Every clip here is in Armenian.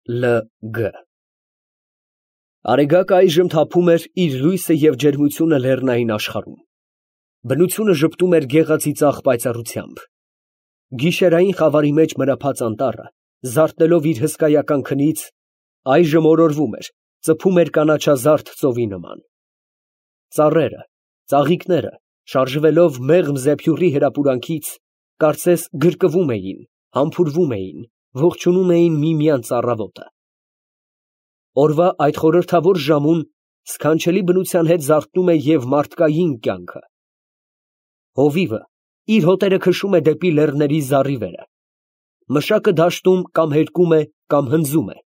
Լ.Գ. Արեգակը այժմ թափում էր իր լույսը և ջերմությունը լեռնային աշխարհում. բնությունը ժպտում էր գեղածիծաղ պայծառությամբ. գիշերային խավարի մեջ մրափած անտառը, զարթնելով իր հսկայական քնից, այժմ օրորվում էր, ծփում էր կանաչազարդ ծովի նման. ծառերը, ծաղիկները, շարժվելով մեղմ զեփյուռի հրապուրանքից, կարծես գրկվում էին, համբուրվում էին, ողջունում էին միմյանց առավոտը. օրվա այդ խորհրդավոր ժամուն սքանչելի բնության հետ զարթնում է և մարդկային կյանքը. հովիվը իր հոտերը քշում է դեպի լեռների զառիվերը, մշակը դաշտում կամ հերկում է, կամ հնձում է,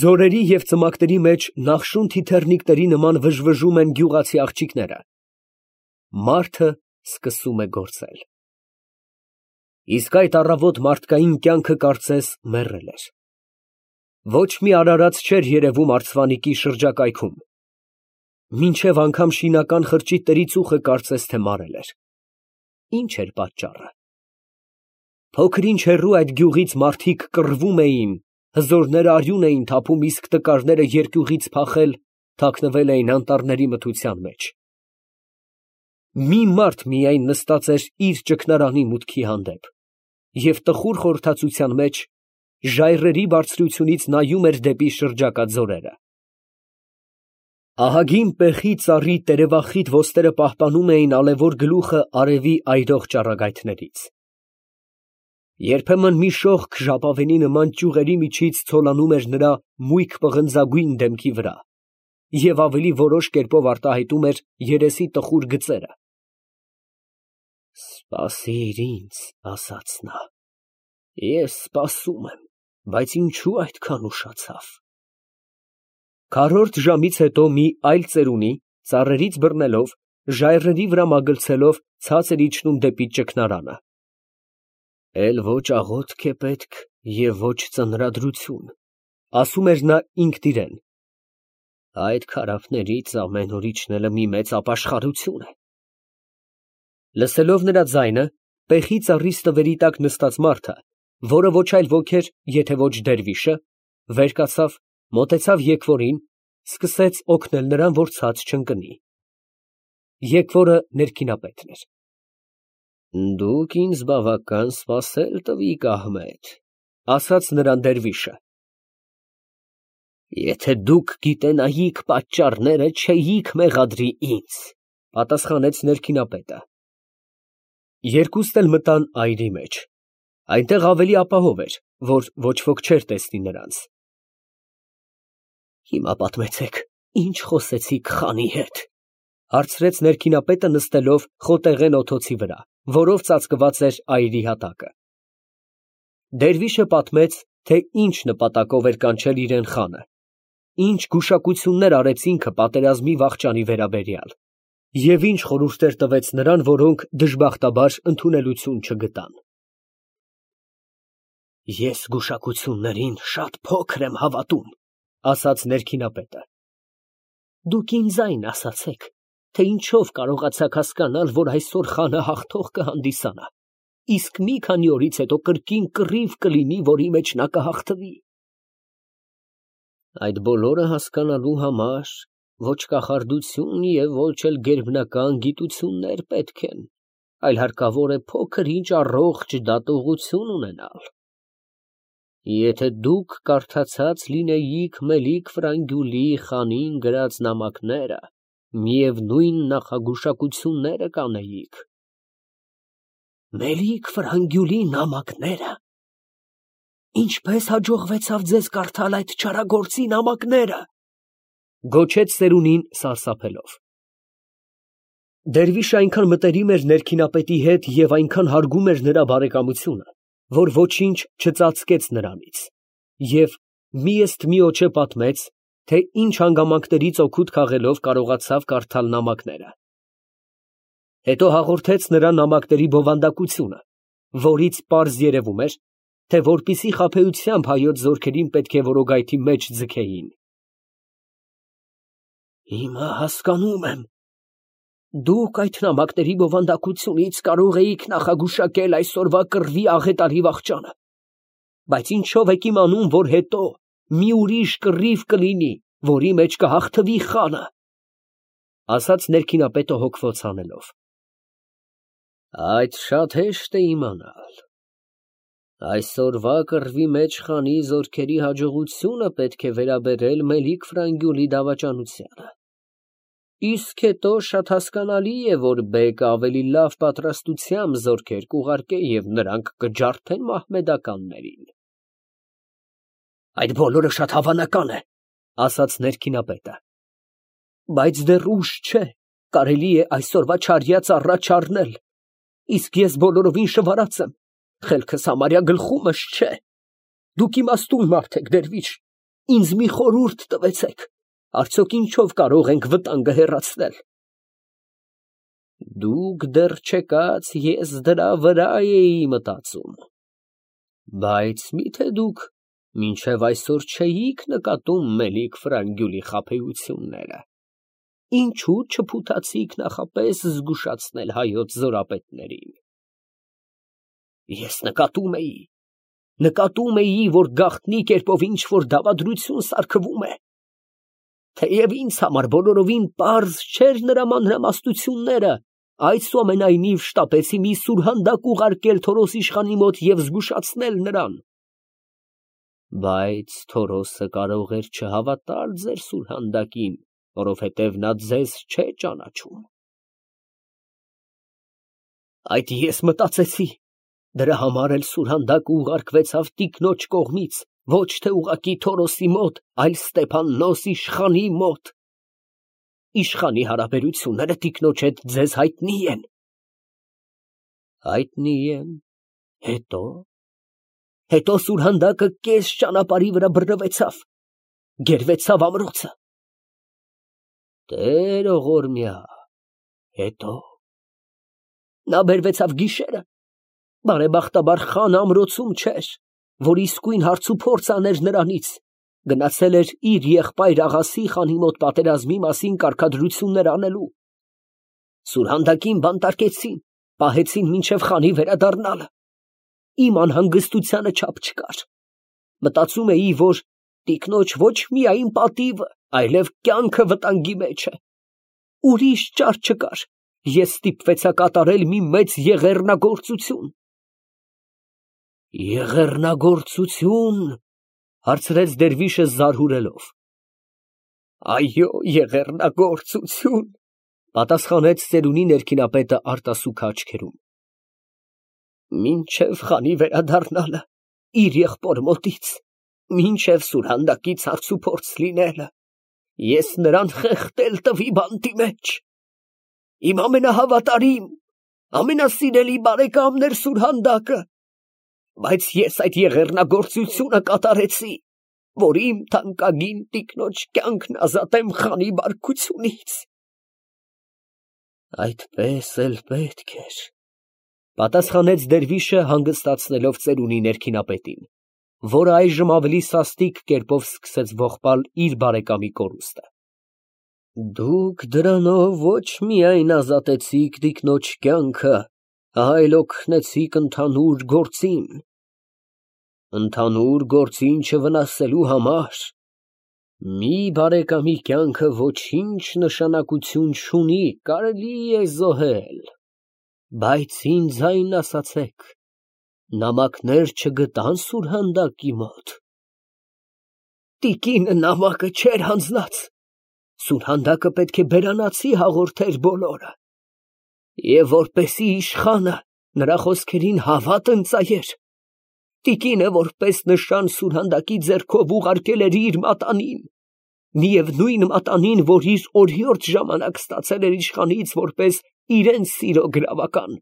ձորերի և ծմակների մեջ նախշուն թիթեռնիկների նման վժվժում են գյուղացի աղջիկները, մարդը սկսում է գործել. իսկ այդ առավոտ մարդկային կյանքը կարծես մեռել էր. ոչ մի արարած չէր երևում արծվանիկի շրջակայքում, մինչև անգամ շինական խրճիթների ծուխը կարծես թե մարել էր. ի՞նչ էր պատճառը։ Փոքր-ինչ հեռու այդ գյուղից մարդիկ կռվում էին, հզորները արյուն էին թափում, իսկ տկարները երկյուղից փախել, թաքնվել էին անտառների մթության մեջ. մի մարդ միայն նստած էր իր ճգնարանի մուտքի հանդեպ և տխուր խորհրդածության մեջ ժայռերի բարձրությունից նայում էր դեպի շրջակա ձորերը. ահագին պեխի ծառի տերևախիտ ոստերը պահպանում էին ալևոր գլուխը արևի այրող ճառագայթներից. երբեմն մի շողք ժապավենի նման ճյուղերի միջից ցոլանում էր նրա մույկ պղնձագույն դեմքի վրա և ավելի որոշ կերպով արտահայտում էր երեսի տխուր գծերը. «Սպասիր ինձ», ասաց նա, «ես սպասում եմ, բայց ինչու այդքան ուշացավ»։ Քառորդ ժամից հետո մի այլ ծերունի, ծառերից բռնելով, ժայռերի վրա մագլցելով, ցած էր իջնում դեպի ճգնարանը. «Էլ ոչ աղոթք է պետք և ոչ ծնրադրություն», ասում էր նա ինքն իրան, «այդ քարափներից ամեն օր իջնելը մի մեծ ապաշխարություն է»։ Լսելով նրա ձայնը, պեխի ծառի ստվերի տակ նստած մարդը, որը ոչ այլ ոք էր, եթե ոչ դերվիշը, վեր կացավ, մոտեցավ եկվորին, սկսեց օգնել նրան, որ ցած չընկնի. եկվորը ներքինապետն էր։ «Դուք ինձ բավական սպասել տվիք, Ահմեդ», ասաց նրան դերվիշը։ «Եթե դուք գիտենայիք պատճառները, չէիք մեղադրի ինձ», պատասխանեց ներքինապետը։ Երկուստ էլ մտան այրի մեջ. այնտեղ ավելի ապահով էր, որ ոչ ոք չէր տեսնի նրանց։ «Հիմա պատմեցեք, ինչ խոսեցիք խանի հետ», հարցրեց ներքինապետը նստելով խոտեղեն օթոցի վրա, որով ծածկված էր այրի հատակը։ Դերվիշը պատմեց, թե ինչ նպատակով էր կանչել իրեն խանը, ինչ գուշակություններ արեց ինքը պատերազմի վախճանի վերաբերյալ, և ինչ խորհուրդներ տվեց նրան, որոնք դժբախտաբար ընդունելություն չգտան։ «Ես գուշակություններին շատ փոքր եմ հավատում», ասաց ներքինապետը։ «Դուք ինձ այն ասացեք, թե ինչով կարողացաք հասկանալ, որ այսօր խանը հաղթող կհանդիսանա, իսկ մի քանի օրից հետո կրկին կռիվ կլինի, որի մեջ նա կհաղթվի»։ «Այդ բոլորը հասկանալու համար ոչ կախարդություն և ոչ էլ գերբնական գիտություններ պետք են, այլ հարկավոր է փոքր-ինչ առողջ դատողություն ունենալ։ Եթե դուք կարդացած լինեիք Մելիք Ֆրանգյուլի խանին գրած նամակները, միևնույն նախագուշակությունները կանեիք»։ «Մելիք Ֆրանգյուլի նամակները։ Ինչպես հաջողվեցավ ձեզ կարդալ այդ չարագործի նամակները», գոչեց ծերունին սարսափելով։ Դերվիշը այնքան մտերիմ էր ներքինապետի հետ և այնքան հարգում էր նրա բարեկամությունը, որ ոչինչ չծածկեց նրանից և միըստմիոջե պատմեց, թե ինչ հանգամանքներից օգուտ քաղելով կարողացավ կարդալ նամակները։ Հետո հաղորդեց նրան նամակների բովանդակությունը, որից պարզ երևում էր, թե որպիսի խաբեությամբ հայոց զորքերին պետք է որոգայթի մեջ ձգեին։ «Հիմա հասկանում եմ. դուք այդ նամակների բովանդակությունից կարող էիք նախագուշակել այսօրվա կռվի աղետալի վախճանը, բայց ինչո՞վ եք իմանում, որ հետո մի ուրիշ կռիվ կլինի, որի մեջ կհաղթվի խանը, ասաց ներքինապետը հոգվոց անելով։ Այդ շատ հեշտ է իմանալ։ Այսօրվա կռվի մեջ խանի զորքերի հաջողությունը պետք է վերաբերել Մելիք Ֆրանգյուլի դավաճանությանը։ Իսկ հետո շատ հասկանալի է, որ բեկը ավելի լավ պատրաստությամբ զորքեր կուղարկե և նրանք կջարդեն մահմեդականներին։ Այդ բոլորը շատ հավանական է, ասաց ներքինապետը, բայց դեռ ուշ չէ, կարելի է այսօրվա չարյաց առաջ առնել, իսկ ես բոլորովին շվարած եմ, խելքս համարյա գլխումս չէ, դուք իմաստուն մարդ եք, դերվիշ, ինձ մի խորհուրդ տվեցեք, արդյոք ինչով կարող ենք վտանգը հեռացնել։ Դուք դեռ չեկած ես դրա վրա էի մտածում, բայց միթե դուք մինչև այսօր չէիք նկատում Մելիք Ֆրանգյուլի խաբեությունները, ինչու չփութացիք նախապես զգուշացնել հայոց զորապետներին։ Ես նկատում էի, որ գաղտնի կերպով ինչ-որ դավադրություն սարքվում է, թեև ինձ համար բոլորովին պարզ չէր նրա մանրամասնությունները, այսուամենայնիվ շտապեցի մի սուրհանդակ ուղարկել Թորոս իշխանի մոտ և զգուշացնել նրան։ Բայց Թորոսը կարող էր չհավատալ ձեր սուրհանդակին, որովհետև նա ձեզ չէ ճանաչում։ Այդ ես մտածեցի, դրա համար էլ սուրհանդակը ուղարկվեցավ տիկնոջ կողմից, ոչ թե ուղղակի Թորոսի մոտ, այլ Ստեփաննոս իշխանի մոտ։ Իշխանի հարաբերությունները տիկնոջ հետ ձեզ հայտնի են։ Հայտնի են, հետո սուրհանդակը կես ճանապարհի վրա բռնվեցավ, գերվեցավ ամրոցը։ Տեր ողորմյա, հետո նա բերվեցավ գիշերը, բարեբախտաբար խանը ամրոցում չէր, որ իսկույն հարց ու փորձ աներ նրանից, գնացել էր իր եղբայր աղասի խանի մոտ պատերազմի մասին կարգադրություններ անելու։ Սուրհանդակին բանտարկեցին, պահեցին մինչև խանի վերադառնալը։ Իմ անհանգստությանը չափ չկար։ Մտածում էի, որ տիկնոջ ոչ միայն պատիվը, այլև կյանքը վտանգի մեջ է։ Ուրիշ ճար չկար, ես ստիպվեցա կատարել մի մեծ եղեռնագործություն։ Եղեռնագործություն, հարցրեց դերվիշը զարհուրելով։ Այո, եղեռնագործություն, պատասխանեց ծերունի ներքինապետը արտասուք աչքերում։ Մինչև խանի վերադառնալը իր եղբոր մոտից, մինչև սուրհանդակից հարց ու փորձ լինելը, ես նրան խեղդել տվի բանտի մեջ։ Իմ ամենահավատարիմ, ամենասիրելի բարեկամն էր սուրհանդակը, բայց ես այդ եղեռնագործությունը կատարեցի, որ իմ թանկագին տիկնոջ կյանքն ազատեմ խանի բարկությունից։ Այդպես էլ պետք էր, պատասխանեց դերվիշը հանգստացնելով ծերունի ներքինապետին, որը այժմ ավելի սաստիկ կերպով սկսեց ողբալ իր բարեկամի կորուստը։ Դուք դրանով ոչ միայն ազատեցիք տիկնոջ կյանքը, այլ օգնեցիք ընդհանուր գործին։ Ընդհանուր գործին չվնասելու համար մի բարեկամի կյանքը ոչինչ նշանակություն չունի, կարելի է զոհել, բայց ինձ այն ասացեք, նամակներ չգտան սուրհանդակի մոտ։ Տիկինը նամակը չէր հանձնած, սուրհանդակը պետք է բերանացի հաղորդեր բոլորը, և որպեսի իշխանը նրա խոսքերին հավատ ընծայեր, տիկինը որպես նշան սուրհանդակի ձեռքով ուղարկել էր իր մատանին, միևնույն մատանին, որ իր օրիորդ ժամանակ ստացել էր իշխանից որպես իրեն սիրո գրավական։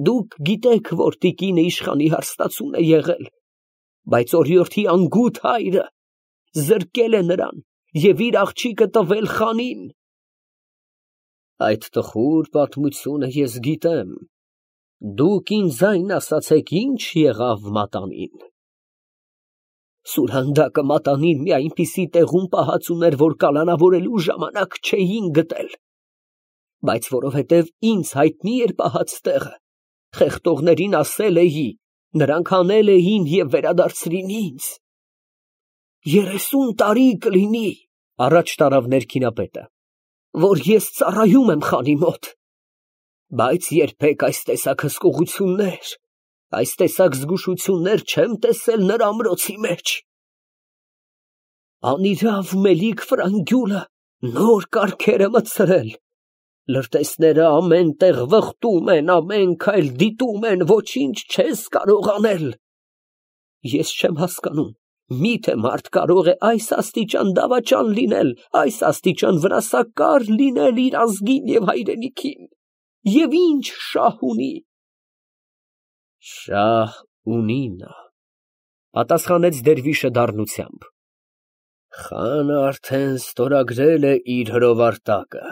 Դուք գիտեք, որ տիկինը իշխանի հարստացուն է եղել, բայց օրիորդի անգութ հայրը զրկել է նրան և իր աղջիկը տվել խանին։ Այդ տխուր պատմությունը ես գիտեմ, դուք ինձ այն ասացեք, ինչ եղավ մատանին։ Սուրհանդակը մատանին մի այնպիսի տեղում պահած ուներ, որ կալանավորելու ժամանակ չէին գտել, բայց որովհետև ինձ հայտնի էր պահած տեղը, խեղդողներին ասել էի, նրանք հանել էին և վերադարձրին ինձ։ 30 տարի կլինի, առաջ տարավ ներքինապետը, որ ես ծառայում եմ խանի մոտ, բայց երբեք այս տեսակ հսկողություններ, այս տեսակ զգուշություններ չեմ տեսել նրա ամրոցի մեջ։ Անիրավ մելիք Ֆրանգյուլը նոր կարգեր է մտցրել, լրտեսները ամեն տեղ վխտում են, ամեն քայլ դիտում են, ոչինչ չես կարող անել։ Ես չեմ հասկանում, միթե մարդ կարող է այս աստիճան դավաճան լինել, այս աստիճան վրասակար լինել իր ազգին և հայրենիքին, և ինչ շահ ունի։ Շահ ունի նա, պատասխանեց դերվիշը դառնությամբ։ Խանը արդեն ստորագրել է իր հրովարտակը,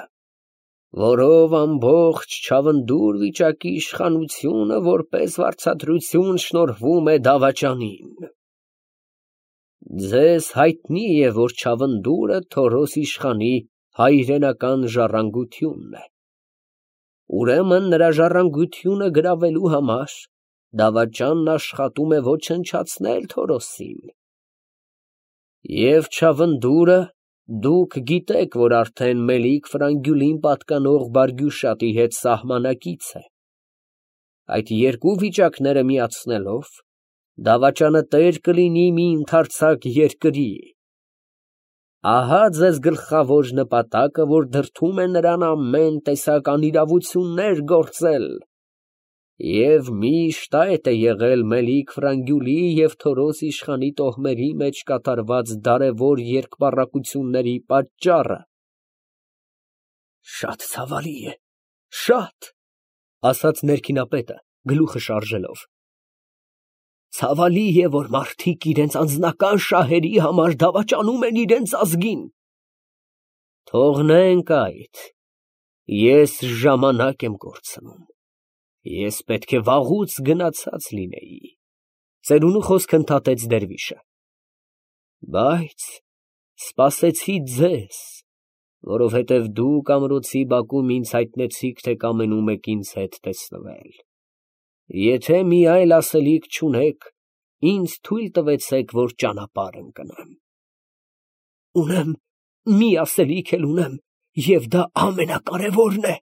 որով ամբողջ Չավնդուր վիճակի իշխանությունը որպես վարձատրություն շնորհվում է դավաճանին։ Ձեզ հայտնի է, որ Չավնդուրը Թորոս իշխանի հայրենական ժառանգությունն է։ Ուրեմն նրա ժառանգությունը գրավելու համար դավաճանն աշխատում է ոչնչացնել Թորոսին։ Եվ Չավնդուրը, դուք գիտեք, որ արդեն Մելիք Ֆրանգյուլին պատկանող Բարգյուշատի հետ սահմանակից է։ Այդ երկու վիճակները միացնելով, դավաճանը տեր կլինի մի ընդարձակ երկրի։ Ահա ձեզ գլխավոր նպատակը, որ դրդում է նրան ամեն տեսակ անիրավություններ գործել, և միշտ այդ է եղել Մելիք Ֆրանգյուլի և Թորոս իշխանի տոհմերի մեջ կատարված դարևոր երկպառակությունների պատճառը։ Շատ ցավալի է, շատ, ասաց ներքինապետը, գլուխը շարժելով։ Ցավալի է, որ մարդիկ իրենց անձնական շահերի համար դավաճանում են իրենց ազգին։ Թողնենք այդ, ես ժամանակ եմ կորցնում, ես պետք է վաղուց գնացած լինեի, ծերունու խոսքը ընդհատեց դերվիշը, բայց սպասեցի ձեզ, որովհետև դուք ամրոցի բակում ինձ հայտնեցիք, թե կամենում եք ինձ հետ տեսնվել։ Եթե մի այլ ասելիք չունեք, ինձ թույլ տվեցեք, որ ճանապարհ ընկնեմ։ Ունեմ, մի ասելիք էլ ունեմ, և դա ամենակարևորն է։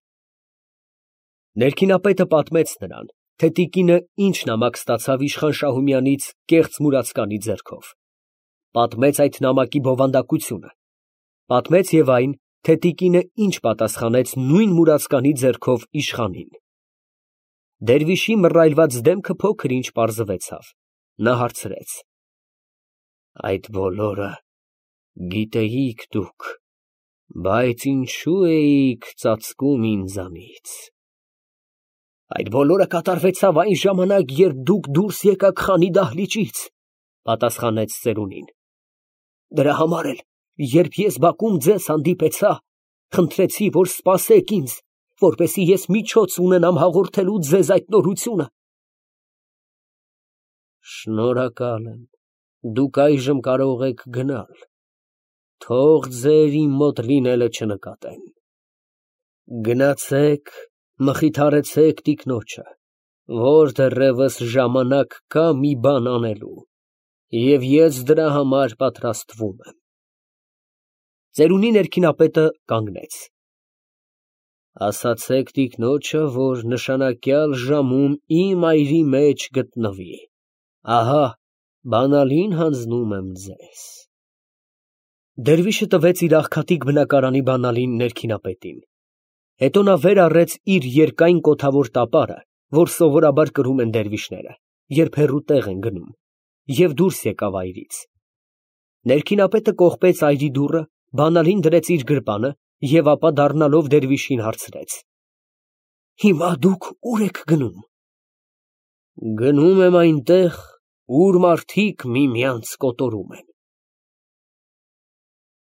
Ներքինապետը պատմեց նրան, թե տիկինը ինչ նամակ ստացավ իշխան Շահումյանից կեղծ մուրացկանի ձեռքով։ Պատմեց այդ նամակի բովանդակությունը։ Պատմեց և այն, թե տիկինը ինչ պատասխանեց նույն մուրացկանի ձեռքով իշխանին։ Դերվիշի մռայլված դեմքը փոքր-ինչ պարզվեցավ։ Նա հարցրեց. Այդ բոլորը գիտեիք դուք, բայց ինչու էիք ծածկում ինձանից։ Այդ բոլորը կատարվեցավ այն ժամանակ, երբ դուք դուրս եկաք խանի դահլիճից, պատասխանեց ծերունին։ Դրա համար էլ, երբ ես բակում ձեզ հանդիպեցա, խնդրեցի, որ սպասեք ինձ, որպեսզի ես միջոց ունենամ հաղորդելու ձեզ այդ նորությունը։ Շնորհակալ եմ, դուք այժմ կարող եք գնալ, թող ձեր իմ մոտ լինելը չնկատեն։ Գնացեք, մխիթարեցեք տիկնոջը, որ դեռևս ժամանակ կա մի բան անելու, և ես դրա համար պատրաստվում եմ։ Ծերունի ներքինապետը կանգնեց։ Ասացեք տիկնոջը, որ նշանակյալ ժամում իմ այրի մեջ գտնվի, ահա բանալին հանձնում եմ ձեզ։ Դերվիշը տվեց իր աղքատիկ բնակարանի բանալին ներքինապետին։ Հետո նա վեր առեց իր երկայն կոթավոր տապարը, որ սովորաբար կրում են դերվիշները, երբ հեռու տեղ են գնում, և դուրս եկավ այրից։ Ներքինապետը կողպեց այրի դուռը, բանալին դրեց իր գրպանը և ապա դառնալով դերվիշին հարցրեց. Հիմա դուք ուր եք գնում։ Գնում եմ այնտեղ, ուր մարդիկ միմյանց կոտորում են։